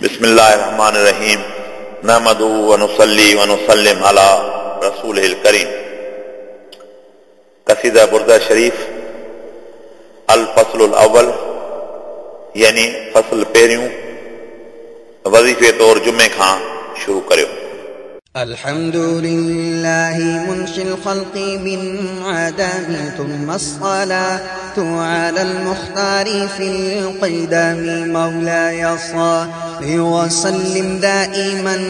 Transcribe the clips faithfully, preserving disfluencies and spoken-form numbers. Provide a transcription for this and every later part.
बिस्मिल्लाहिर्रहमानिर्रहीम नहमदुहु व नुसल्ली व नुसल्लिम अला रसूलिल करीम। कसीदा बुर्दा शरीफ अल फसलुल अव्वल यानी फसल पहिरियों वज़ीफ़े तौर जुमे खां शुरू करियो। अल्हम्दुलिल्लाहि मुनशिल खल्qi मिन आदम थुम्मा अस्सलातु अलल मुख्तारि फिल क़िदम मौलाय सल्लि व सल्लिम दाइमन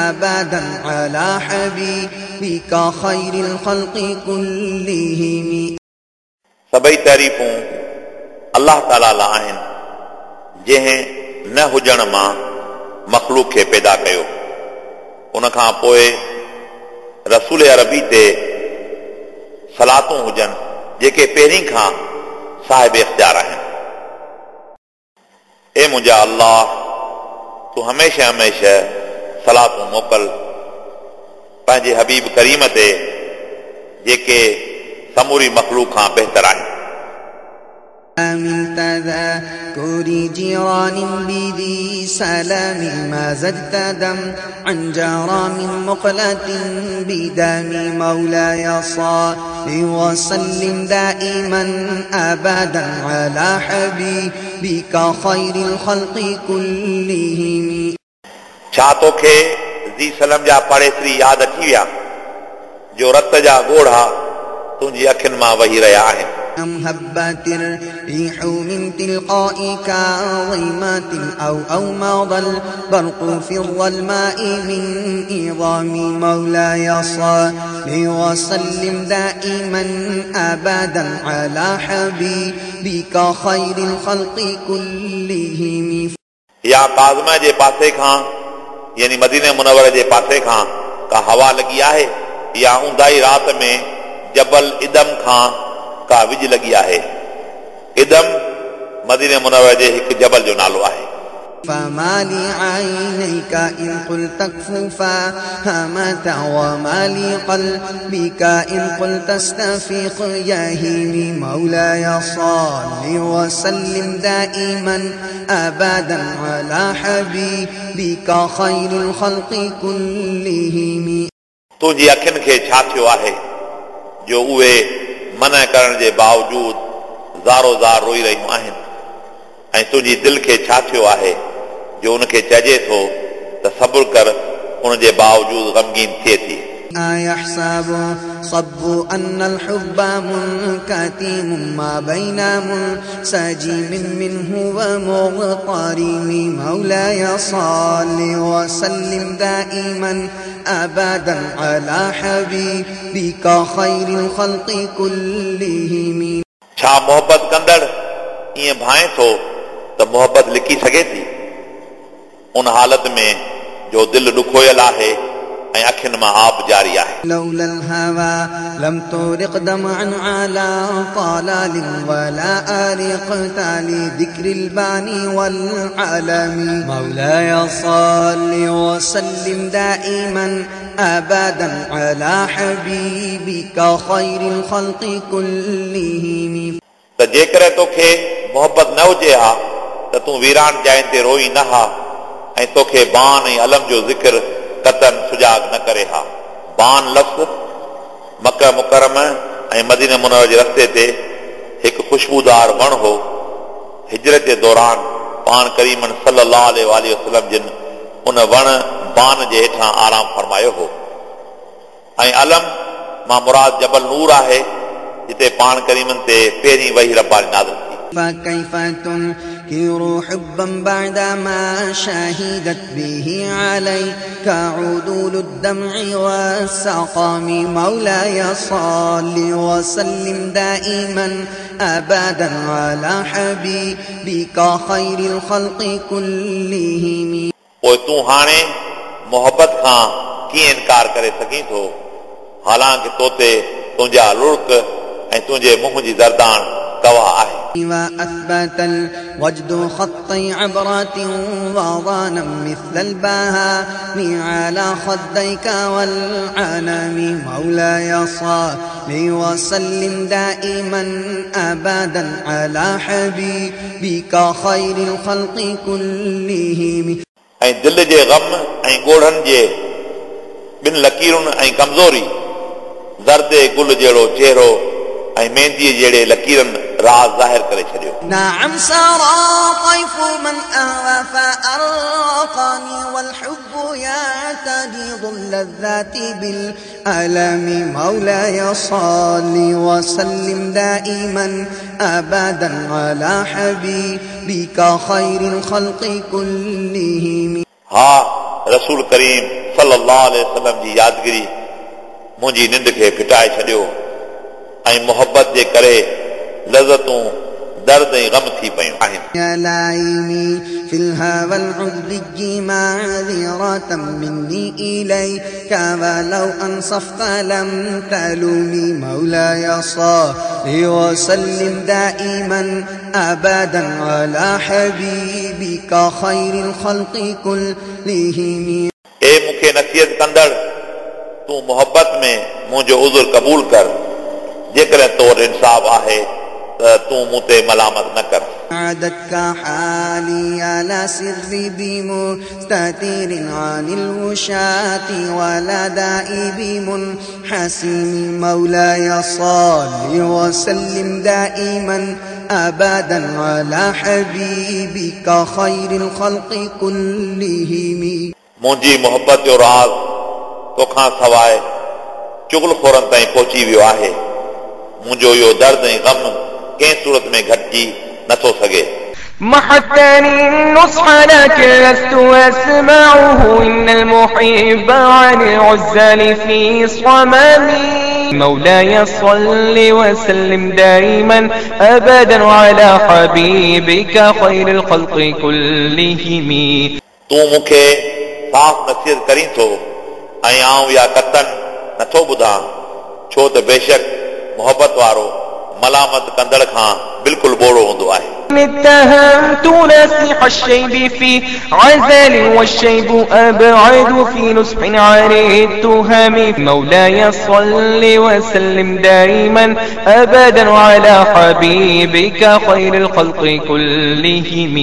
अबदन अला हबीबिका खैरिल खल्qi कुल्लिहिम। सभई तारीफ़ूं अल्लाह ताला लाइ आहिनि जंहिं न हुजण मां मख़लूक खे पैदा कयो। उन खां पोइ रसूल अरबी ते सलातूं हुजनि जेके पहिरीं खां साहिब इख़्तियार आहिनि। ए मुंहिंजा अल्लाह, तूं हमेशह हमेशह सलातूं मोकिल पंहिंजे हबीब करीम ते जेके समूरी मख़लूक खां बहितर आहिनि। من تذاكر جيران بذي سلام ما زدت دم عن جرى من مقلة بدم مولاي صل وسلم دائما أبدا على حبيبك خير الخلق كلهم। छा तोखे ज़ी सलम जा पाड़ेसरी यादि अची विया जो रत जा ॻोढ़ा तुंहिंजी अखियुनि मां वही रहिया आहिनि। أم هبت الريح من تلقاء كاظمات أو أومض البرق في الظلماء من إظام مولاي صل وسلم دائما أبدا على حبيبك خير الخلق كلهم। या काज़मा जे पासे खां यानी मदीने मुनव्वर जे पासे खां का हवा लॻी आहे या ऊंदाई राति में जबल इदम खां का विज लॻी आहे। इदम मदीने मुनव्वर जे हिकु जबल जो नालो आहे। فما لعينيك إن قلت اكففا همت وما لقلبك إن قلت استفيق يهيم مولاي صل وسلم دائما أبدا على حبيبك خير الخلق كلهم। तुंहिंजी अखियुनि खे छा थियो आहे जो उहे मना करण जे बावजूद ज़ारो ज़ार रोई रहियूं आहिनि, ऐं तुंहिंजी दिलि खे छा थियो आहे जो उनखे चइजे थो त सब्र कर, उनजे बावजूद ग़मगीन थिए थी। أيحسب صب أن الحب منكتم ما بين منسجم منه ومغترم مولاي صل وسلم دائما أبدا على حبيبك خير الخلق كلهم। छा मोहबत कंदड़ ईअं भाए थो त मोहबत लिखी सघे थी? उन हालत में जो दिलि ॾुखोयल आहे ऐं अखियुनि मां आब जारी आहे। لولا الهوى لم ترق دمعا على طلال ولا أرقت لذكر الباني والعلم مولاي صل وسلم دائما أبدا على حبيبك خير الخلق كلهم। त जेकॾहिं तोखे मोहबत न हुजे हा त तूं वीरान जाइनि ते रोई न हा ऐं तोखे बान ऐं अलम जो ज़िक्र कतन सुजाग न करे हा। बान लफ़्ज़ मक्का मुकर्रम ऐं मदीना मुनव्वर जे रस्ते ते हिकु ख़ुशबूदार वण हो। हिजरत जे दौरान पाण करीमन सल्लल्लाहु अलैहि वसल्लम जिन उन वण बान जे हेठां आराम फरमायो हो। ऐं अलम मां मुराद जबल नूर आहे जिते पाण करीमन ते पहिरीं वही रब्बानी नाज़िल थी। فكيف تنكر حبا بعدما شهدت به عليك عدول الدمع والسقام مولاي صل وسلم دائما أبدا على حبيبك خير الخلق كلهم। पोइ तूं हाणे मोहबत खां कीअं इनकार करे सघीं थो, हालांकि तो ते तुंहिंजा लुड़क ऐं तुंहिंजे मुंहं जी दरदान गवाह आहे। وأثبت الوجد خطي عبرة وضانا مثل البهاء على خديك والعنم مولاي صل وسلم دائما أبدا على حبيبك خير الخلق كلهم. ऐं दिलि जे ग़म ऐं ॻोढ़नि जे ॿिनि लकीरुनि ऐं कमज़ोरी ज़र्दे गुल जहिड़ो चेहरो ऐं मेहंदीअ जहिड़े लकीरनि राज़ ज़ाहिर करे छॾियो। نعم سرى طيف من أهوى فأرقني والحب يعترض اللذات بالألم مولاي صل وسلم دائما أبدا على حبيبك خير الخلق كلهم। हा रसूल करीम सल्लल्लाहु अलैहि वसल्लम जी यादगिरी मुंहिंजी निंड खे फिटाए छॾियो ऐं मोहबत जे करे लज़तूं दर्द ऐं ग़म थी पयूं आहिनि। يا لائمي في الهوى العذري معذرة مني إليك ولو أنصفت لم تلومي مولاي صل وسلم دائما أبدا على حبيبك خير الخلق كلهم। ए मूंखे नसीहत कंदड़ तूं मोहबत में मुंहिंजो उज़ुर क़बूल कर, जेकॾहिं तो वटि इंसाफ़ आहे त तूं मूं ते मलामत न कर। عادتك حالي على سر بمستتر عن الوشاة ولا داء بمنحسم مولاي صل وسلم دائما أبدا على حبيبك خير الخلق كلهم। मुंहिंजी मोहबत जो राज़ तोखां सवाइ चुगलखोरनि ताईं पहुची वियो आहे। मुंहिंजो इहो दर्द ऐं ग़म कंहिं सूरत में घटिजी नथो सघे। محتني النصح لكن لست أسمعه إن المحب عن العزال في صمم مولاي صل وسلم دائما أبدا على حبيبك خير الخلق كلهم। तूं मूंखे साफ़ नसीहत करीं थो ऐं आउं इहा कतन नथो ॿुधां, छो त बेशक मोहबत वारो मलामत कंदड़ खां बिल्कुलु ॿोड़ो हूंदो आहे। اتهمت ناسح الشيب في عزل والشيب أبعد في نصح عن التهم مولاي صل وسلم دائما أبدا على حبيبك خير الخلق كلهم।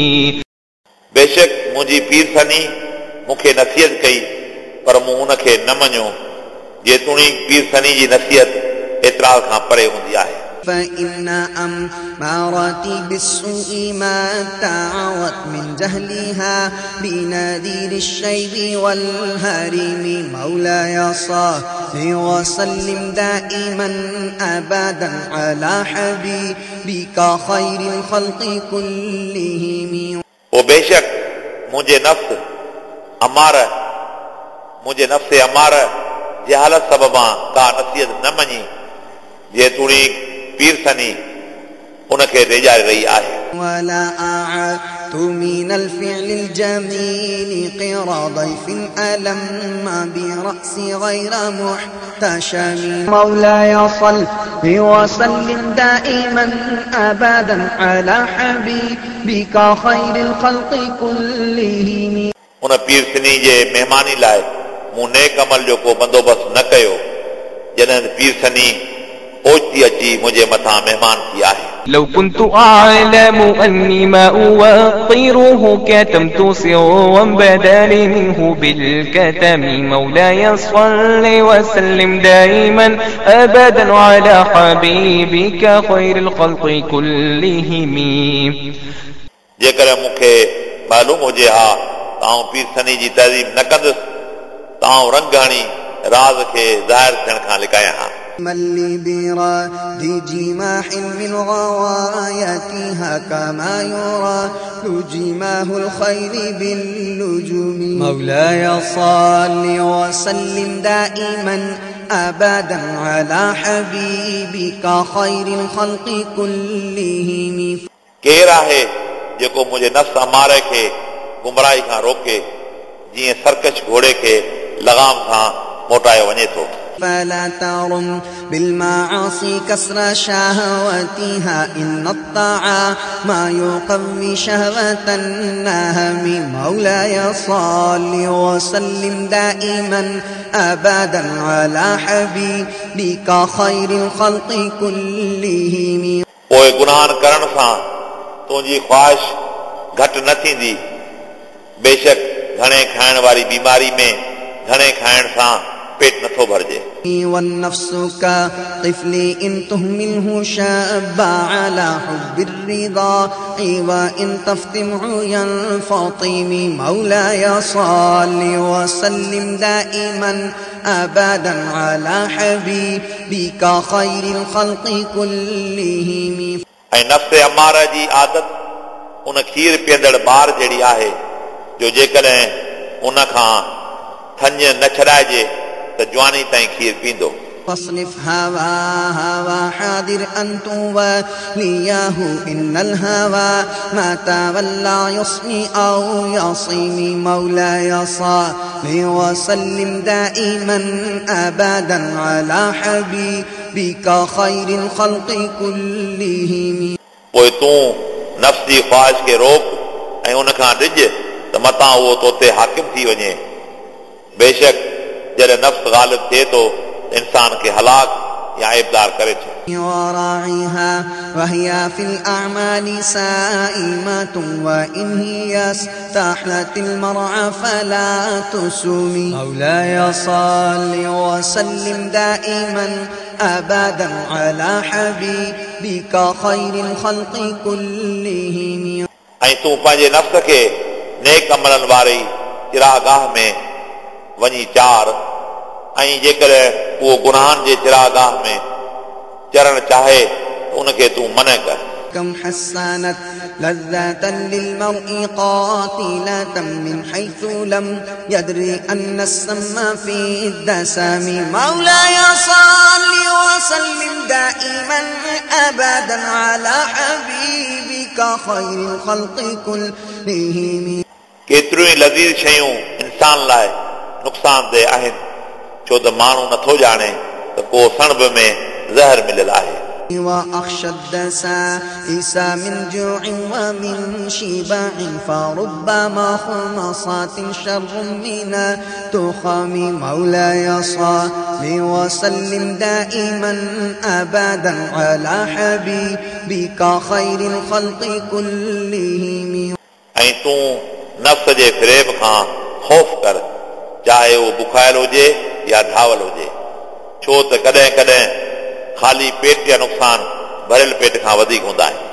बेशक मुंहिंजी पीर सनी मूंखे नसीहत कई पर मूं उनखे न मञियो, जेतोणीकि पीर सनी जी नसीहत एतिराज़ खां परे हूंदी आहे। فإن أمارتي بالسوء ما تعوت من جهلها بنذير الشيب والهرم مولاي صل وسلم دائما أبدا على حبيبك خير الخلق كلهم। पोइ बेशक मुंहिंजे नफ्स अमार मुंहिंजे नफ्स अमार जहालत सबबां का नसीहत न मञी, जेतोणीकि पीर सनी उनखे ड्यारे रही आहे। ولا أعدت من الفعل الجميل قرى ضيف ألم برأسي غير محتشم مولاي صل وسلم دائما أبدا على حبيبك خير الخلق كلهم। उन पीर सनी जे महिमानी लाइ मूं नेक अमल जो को बंदोबस्तु न कयो, जॾहिं पीर सनी ओचिती अची मुंहिंजे मथां महिमान थी आहे। لو كنت أعلم أني ما أوقره كتمت سرا بدا لي منه بالكتم مولاي صل وسلم دائما أبدا على حبيبك خير الخلق كلهم। जेकॾहिं मूंखे मालूम हुजे हा त आउं पीर सनी जी तज़ीम न कंदुसि त आउं रंग हणी राज़ खे ज़ाहिर थियण खां लिकायां हा। من لي براد جماح من غوايتها كما يرى جماه الخير بالنجوم مولاي صل وسلم دائما أبدا على حبيبك خير الخلق كلهم। केरु आहे जेको मुंहिंजे नफ्स अमारे खे गुमराही खां रोके, जीअं सरकश घोड़े खे लगाम सां मोटायो वञे थो। فلا ترم بالمعاصي كسر شهوتها إن الطاعة ما يقوي شهوة النهم مولاي صل وسلم دائما أبدا على حبيبك خير الخلق كلهم। पोइ गुनाहनि करण सां तुंहिंजी ख़्वाहिश घटि न थींदी, बेशक घणे खाइण वारी बीमारी में घणे खाइण सां पेट नथो भरिजे। والنفس كطفل إن تهمله شاب على حب الرضا وإن تفتمع ينفطم مولاي صل وسلم دائما أبدا على حبيبك خير الخلق كلهم। ऐं नफ़्स अमारा जी आदत उन खीर पीअंदड़ ॿार जहिड़ी आहे जो जेकॾहिं उन खां थञ न छॾाइजे त जवानी ताईं खीर पींदो। فاصرف هواها وحاذر أن توليه إن الهوى ما تولى يصمي أو يصيم مولاي صل وسلم دائما أبدا على حبيبك خير الخلق كلهم। पोइ तूं नफ़्स जी ख़्वाहिश खे रोक ऐं उन खां डिॼ त मतां उहो तो ते हाकिम थी वञे। बेशक जॾहिं नफ़्स ग़ालिब थिए थो इंसान खे हलाक या ऐबदार करे थो। وراعيها وهي في الأعمال سائمة وإن هي استحلت المرعى فلا تسومي مولاي صل وسلم دائما أبدا على حبيبك خير الخلق كلهم। ऐं तूं पंहिंजे नफ़्स खे नेक अमलनि वारी चिरागाह में वञी चार ऐं जेकॾहिं उहो गुनाहनि जे चिरागाह में चरण चाहे त उनखे तूं मना कर। كم حسنت لذة للمرء قاتلة من حيث لم يدري أن السم في الدسم مولاي صل وسلم دائما أبدا على حبيبك خير الخلق كلهم। केतिरियूं ई लज़ीज़ शयूं इंसान लाइ नुक़सानदेह आहिनि, छो त माण्हू नथो ॼाणे त को सणब में ज़हर मिलियल आहे। وأخشى الدسائس من جوع ومن شبع فربما خمصات شر من التخم مولاي صل وسلم دائما أبدا على حبيبك خير الخلق كلهم। ऐं तूं नफ़्स जे फ़रेब खां ख़ौफ़ कर, चाहे उहो बुखायल हुजे या ढावल हुजे, छो त कॾहिं कॾहिं ख़ाली पेट जा नुक़सान भरियल पेट खां वधीक हूंदा आहिनि।